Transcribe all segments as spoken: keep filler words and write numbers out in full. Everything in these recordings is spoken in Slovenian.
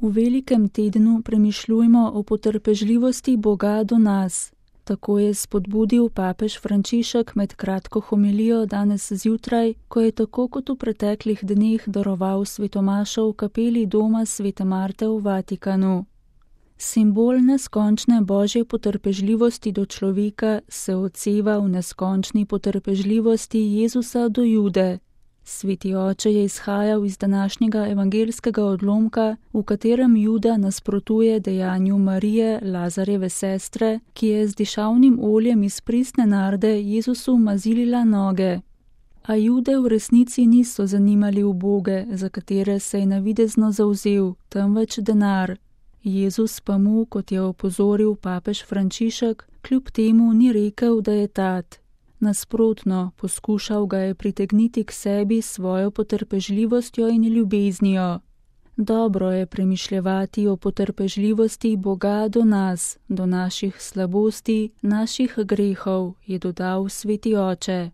V velikem tednu premišljujmo o potrpežljivosti Boga do nas. Tako je spodbudil papež Frančišek med kratko homilijo danes zjutraj, ko je tako kot v preteklih dneh daroval svetomašo v kapeli doma svete Marte v Vatikanu. Simbol neskončne božje potrpežljivosti do človeka se odseva v neskončni potrpežljivosti Jezusa do Jude. Sveti oče je izhajal iz današnjega evangelskega odlomka, v katerem Juda nasprotuje dejanju Marije, Lazarjeve sestre, ki je z dišavnim oljem iz pristne narde Jezusu mazilila noge. A Jude v resnici niso zanimali uboge, za katere se je navidezno zavzel, temveč denar. Jezus pa mu, kot je opozoril papež Frančišek, kljub temu ni rekel, da je tat. Nasprotno, poskušal ga je pritegniti k sebi s svojo potrpežljivostjo in ljubeznijo. Dobro je premišljevati o potrpežljivosti Boga do nas, do naših slabosti, naših grehov, je dodal sveti oče.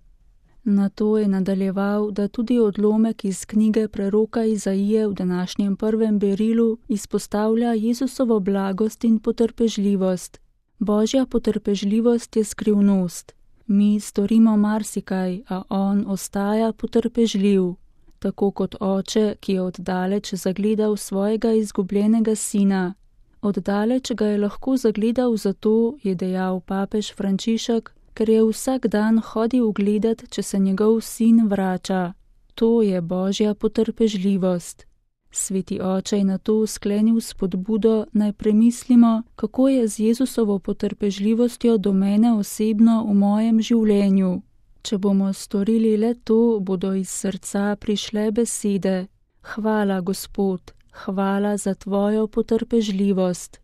Nato je nadaljeval, da tudi odlomek iz knjige preroka Izaije v današnjem prvem berilu izpostavlja Jezusovo blagost in potrpežljivost. Božja potrpežljivost je skrivnost. Mi storimo marsikaj, a on ostaja potrpežljiv, tako kot oče, ki je oddaleč zagledal svojega izgubljenega sina. Oddaleč ga je lahko zagledal zato, je dejal papež Frančišek, ker je vsak dan hodil gledat, če se njegov sin vrača. To je božja potrpežljivost. Sveti oče je nato sklenil spodbudo, naj premislimo, kako je z Jezusovo potrpežljivostjo do mene osebno v mojem življenju. Če bomo storili le to, bodo iz srca prišle besede: Hvala, Gospod, hvala za tvojo potrpežljivost.